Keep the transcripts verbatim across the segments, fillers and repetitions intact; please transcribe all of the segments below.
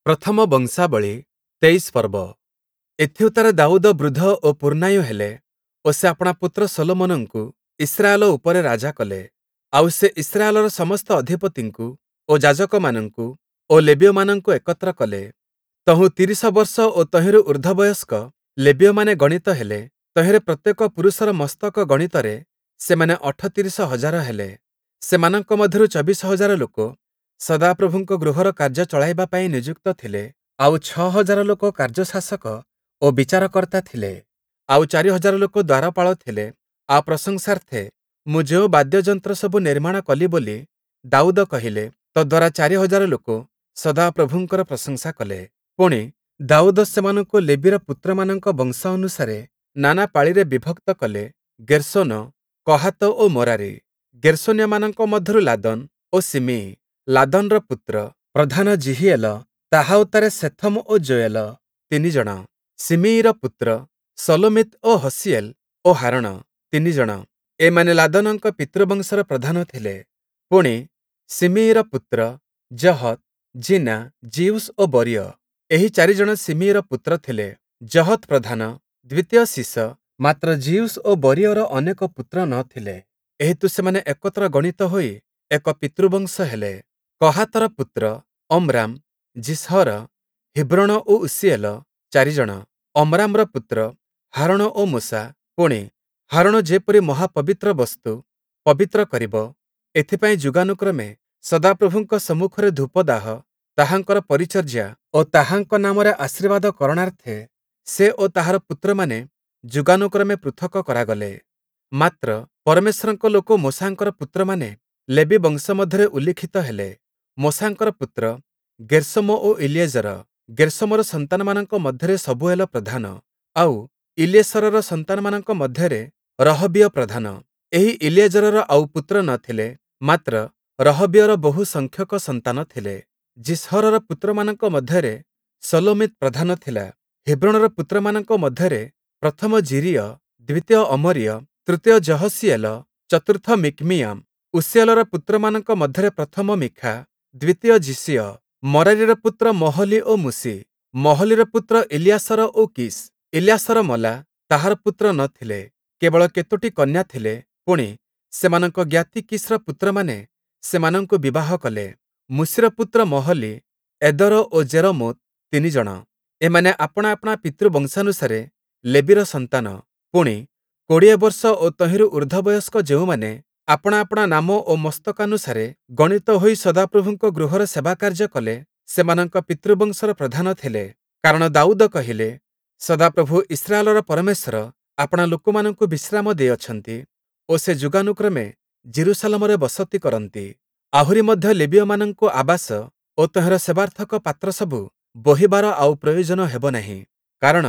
ପ୍ରଥମ ବଂଶାବଳୀ ତେଇଶ ପର୍ବ। ଏଥିଉତ୍ତାରେ ଦାଉଦ ବୃଦ୍ଧ ଓ ପୂର୍ଣ୍ଣାୟୁ ହେଲେ ଓ ସେ ଆପଣା ପୁତ୍ର ଶଲୋମନଙ୍କୁ ଇସ୍ରାଏଲ ଉପରେ ରାଜା କଲେ। ଆଉ ସେ ଇସ୍ରାଏଲର ସମସ୍ତ ଅଧିପତିଙ୍କୁ ଓ ଯାଜକମାନଙ୍କୁ ଓ ଲେବୀୟମାନଙ୍କୁ ଏକତ୍ର କଲେ। ତହୁଁ ତିରିଶ ବର୍ଷ ଓ ତହିଁରୁ ଊର୍ଦ୍ଧ୍ୱ ବୟସ୍କ ଲେବୀୟମାନେ ଗଣିତ ହେଲେ। ତହିଁରେ ପ୍ରତ୍ୟେକ ପୁରୁଷର ମସ୍ତକ ଗଣିତରେ ସେମାନେ ଅଠତିରିଶ ହଜାର ହେଲେ। ସେମାନଙ୍କ ମଧ୍ୟରୁ ଚବିଶ ହଜାର ଲୋକ ସଦାପ୍ରଭୁଙ୍କ ଗୃହର କାର୍ଯ୍ୟ ଚଳାଇବା ପାଇଁ ନିଯୁକ୍ତ ଥିଲେ, ଆଉ ଛଅ ହଜାର ଲୋକ କାର୍ଯ୍ୟଶାସକ ଓ ବିଚାରକର୍ତ୍ତା ଥିଲେ, ଆଉ ଚାରି ହଜାର ଲୋକ ଦ୍ୱାରପାଳ ଥିଲେ। ଆଉ ପ୍ରଶଂସାର୍ଥେ ମୁଁ ଯେଉଁ ବାଦ୍ୟଯନ୍ତ୍ର ସବୁ ନିର୍ମାଣ କଲି ବୋଲି ଦାଉଦ କହିଲେ, ତଦ୍ଦ୍ୱାରା ଚାରି ହଜାର ଲୋକ ସଦାପ୍ରଭୁଙ୍କର ପ୍ରଶଂସା କଲେ। ପୁଣି, ଦାଉଦ ସେମାନଙ୍କୁ ଲେବୀର ପୁତ୍ରମାନଙ୍କ ବଂଶ ଅନୁସାରେ ନାନା ପାଳିରେ ବିଭକ୍ତ କଲେ ଗେର୍ଶୋନ, କହାତ ଓ ମରାରି। ଗେର୍ଶୋନୀୟମାନଙ୍କ ମଧ୍ୟରୁ ଲାଦନ ଓ ଶିମୀୟି। ଲାଦନର ପୁତ୍ର ପ୍ରଧାନ ଯିହିୟେଲ, ତାହା ଉତ୍ତାରେ ସେଥମ ଓ ଯୋୟେଲ, ତିନି ଜଣ। ଶିମୀୟିର ପୁତ୍ର ଶଲୋମୀତ୍ ଓ ହସୀୟେଲ ଓ ହାରଣ, ତିନି ଜଣ। ଏମାନେ ଲାଦନଙ୍କ ପିତୃବଂଶର ପ୍ରଧାନ ଥିଲେ। ପୁଣି, ଶିମୀୟିର ପୁତ୍ର ଯହତ୍, ଜିନା, ଯିଉଶ ଓ ବରୀୟ। ଏହି ଚାରିଜଣ ଶିମୀୟିର ପୁତ୍ର ଥିଲେ। ଯହତ୍ ପ୍ରଧାନ, ଦ୍ୱିତୀୟ ଶୀଶ, ମାତ୍ର ଯିଉଶ ଓ ବରୀୟର ଅନେକ ପୁତ୍ର ନ ଥିଲେ, ଏହେତୁ ସେମାନେ ଏକତ୍ର ଗଣିତ ହୋଇ ଏକ ପିତୃବଂଶ ହେଲେ। କହାତର ପୁତ୍ର ଅମ୍ରାମ, ଯିସହର, ହିବ୍ରୋଣ ଓ ଉସୀୟେଲ, ଚାରିଜଣ। ଅମ୍ରାମର ପୁତ୍ର ହାରୋଣ ଓ ମୋଶା। ପୁଣି, ହାରୋଣ ଯେପରି ମହାପବିତ୍ର ବସ୍ତୁ ପବିତ୍ର କରିବ, ଏଥିପାଇଁ ଯୁଗାନୁକ୍ରମେ ସଦାପ୍ରଭୁଙ୍କ ସମ୍ମୁଖରେ ଧୂପଦାହ, ତାହାଙ୍କର ପରିଚର୍ଯ୍ୟା ଓ ତାହାଙ୍କ ନାମରେ ଆଶୀର୍ବାଦ କରଣାର୍ଥେ ସେ ଓ ତାହାର ପୁତ୍ରମାନେ ଯୁଗାନୁକ୍ରମେ ପୃଥକ କରାଗଲେ। ମାତ୍ର ପରମେଶ୍ୱରଙ୍କ ଲୋକ ମୋଶାଙ୍କର ପୁତ୍ରମାନେ ଲେବୀ ବଂଶ ମଧ୍ୟରେ ଉଲ୍ଲିଖିତ ହେଲେ। ମୋଶାଙ୍କର ପୁତ୍ର ଗେର୍ଶୋମ ଓ ଇଲିଏଜର। ଗେର୍ଶୋମର ସନ୍ତାନମାନଙ୍କ ମଧ୍ୟରେ ଶବୁଏଲ ପ୍ରଧାନ, ଆଉ ଇଲିଏସରର ସନ୍ତାନମାନଙ୍କ ମଧ୍ୟରେ ରହବୀୟ ପ୍ରଧାନ। ଏହି ଇଲିଏଜରର ଆଉ ପୁତ୍ର ନ ଥିଲେ, ମାତ୍ର ରହବୀୟର ବହୁ ସଂଖ୍ୟକ ସନ୍ତାନ ଥିଲେ। ଯିସହରର ପୁତ୍ରମାନଙ୍କ ମଧ୍ୟରେ ଶଲୋମୀତ୍ ପ୍ରଧାନ ଥିଲା। ହିବ୍ରୋଣର ପୁତ୍ରମାନଙ୍କ ମଧ୍ୟରେ ପ୍ରଥମ ଯିରୀୟ, ଦ୍ୱିତୀୟ ଅମରୀୟ, ତୃତୀୟ ଯହସୀଏଲ, ଚତୁର୍ଥ ମିକ୍ମିୟାମ୍। ଉସୀଏଲର ପୁତ୍ରମାନଙ୍କ ମଧ୍ୟରେ ପ୍ରଥମ ମୀଖା, ଦ୍ୱିତୀୟ ଯିଶୀୟ। ମରାରିର ପୁତ୍ର ମହଲି ଓ ମୂଶି। ମହଲିର ପୁତ୍ର ଇଲିୟାସର ଓ କୀଶ। ଇଲିୟାସର ମଲା, ତାହାର ପୁତ୍ର ନ ଥିଲେ, କେବଳ କେତୋଟି କନ୍ୟା ଥିଲେ। ପୁଣି, ସେମାନଙ୍କ ଜ୍ଞାତି କୀଶର ପୁତ୍ରମାନେ ସେମାନଙ୍କୁ ବିବାହ କଲେ। ମୂଶିର ପୁତ୍ର ମହଲି, ଏଦର ଓ ଯେରମୋତ୍, ତିନି ଜଣ। ଏମାନେ ଆପଣା ଆପଣା ପିତୃବଂଶାନୁସାରେ ଲେବୀର ସନ୍ତାନ। ପୁଣି, କୋଡ଼ିଏ ବର୍ଷ ଓ ତହିଁରୁ ଊର୍ଦ୍ଧ୍ୱ ବୟସ୍କ ଯେଉଁମାନେ ଆପଣା ଆପଣା ନାମ ଓ ମସ୍ତକାନୁସାରେ ଗଣିତ ହୋଇ ସଦାପ୍ରଭୁଙ୍କ ଗୃହର ସେବାକାର୍ଯ୍ୟ କଲେ, ସେମାନଙ୍କ ପିତୃବଂଶର ପ୍ରଧାନ ଥିଲେ। କାରଣ ଦାଉଦ କହିଲେ, ସଦାପ୍ରଭୁ ଇସ୍ରାଏଲର ପରମେଶ୍ୱର ଆପଣା ଲୋକମାନଙ୍କୁ ବିଶ୍ରାମ ଦେଇଅଛନ୍ତି ଓ ସେ ଯୁଗାନୁକ୍ରମେ ଯିରୂଶାଲମରେ ବସତି କରନ୍ତି। ଆହୁରି ମଧ୍ୟ ଲେବୀୟମାନଙ୍କୁ ଆବାସ ଓ ତହିଁର ସେବାର୍ଥକ ପାତ୍ରସବୁ ବୋହିବାର ଆଉ ପ୍ରୟୋଜନ ହେବ ନାହିଁ। କାରଣ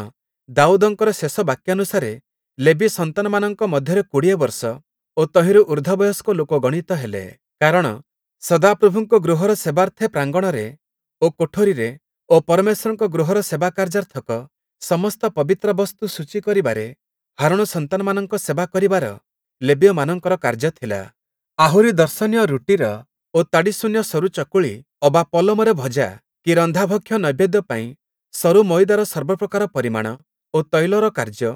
ଦାଉଦଙ୍କର ଶେଷ ବାକ୍ୟାନୁସାରେ ଲେବୀ ସନ୍ତାନମାନଙ୍କ ମଧ୍ୟରେ କୋଡ଼ିଏ ବର୍ଷ ଓ ତହିଁରୁ ଊର୍ଦ୍ଧ୍ୱ ବୟସ୍କ ଲୋକ ଗଣିତ ହେଲେ। କାରଣ ସଦାପ୍ରଭୁଙ୍କ ଗୃହର ସେବାର୍ଥେ ପ୍ରାଙ୍ଗଣରେ ଓ କୋଠରିରେ ଓ ପରମେଶ୍ୱରଙ୍କ ଗୃହର ସେବାକାର୍ଯ୍ୟାର୍ଥକ ସମସ୍ତ ପବିତ୍ର ବସ୍ତୁ ଶୁଚି କରିବାରେ ହାରୋଣ ସନ୍ତାନମାନଙ୍କ ସେବା କରିବାର ଲେବୀୟମାନଙ୍କର କାର୍ଯ୍ୟ ଥିଲା। ଆହୁରି ଦର୍ଶନୀୟ ରୁଟିର ଓ ତାଡ଼ିଶୂନ୍ୟ ସରୁ ଚକୁଳି ଅବା ପଲମରେ ଭଜା କି ରନ୍ଧା ଭକ୍ଷ୍ୟ ନୈବେଦ୍ୟ ପାଇଁ ସରୁ ମଇଦାର ସର୍ବପ୍ରକାର ପରିମାଣ ଓ ତୈଳର କାର୍ଯ୍ୟ,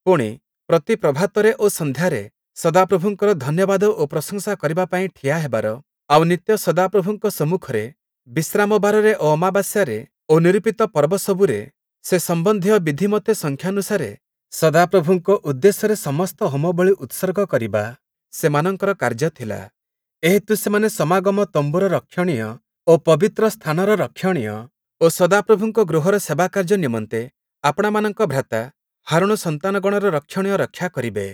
ପୁଣି, ପ୍ରତି ପ୍ରଭାତରେ ଓ ସନ୍ଧ୍ୟାରେ ସଦାପ୍ରଭୁଙ୍କର ଧନ୍ୟବାଦ ଓ ପ୍ରଶଂସା କରିବା ପାଇଁ ଠିଆ ହେବାର, ଆଉ ନିତ୍ୟ ସଦାପ୍ରଭୁଙ୍କ ସମ୍ମୁଖରେ ବିଶ୍ରାମବାରରେ ଓ ଅମାବାସ୍ୟାରେ ଓ ନିରୂପିତ ପର୍ବ ସବୁରେ ସେ ସମ୍ବନ୍ଧୀୟ ବିଧିମତେ ସଂଖ୍ୟାନୁସାରେ ସଦାପ୍ରଭୁଙ୍କ ଉଦ୍ଦେଶ୍ୟରେ ସମସ୍ତ ହୋମବଳି ଉତ୍ସର୍ଗ କରିବା ସେମାନଙ୍କର କାର୍ଯ୍ୟ ଥିଲା। ଏହେତୁ ସେମାନେ ସମାଗମ ତମ୍ବୁର ରକ୍ଷଣୀୟ ଓ ପବିତ୍ର ସ୍ଥାନର ରକ୍ଷଣୀୟ ଓ ସଦାପ୍ରଭୁଙ୍କ ଗୃହର ସେବାକାର୍ଯ୍ୟ ନିମନ୍ତେ ଆପଣାମାନଙ୍କ ଭ୍ରାତା ହାରୋଣ ସନ୍ତାନଗଣର ରକ୍ଷଣୀୟ ରକ୍ଷା କରିବେ।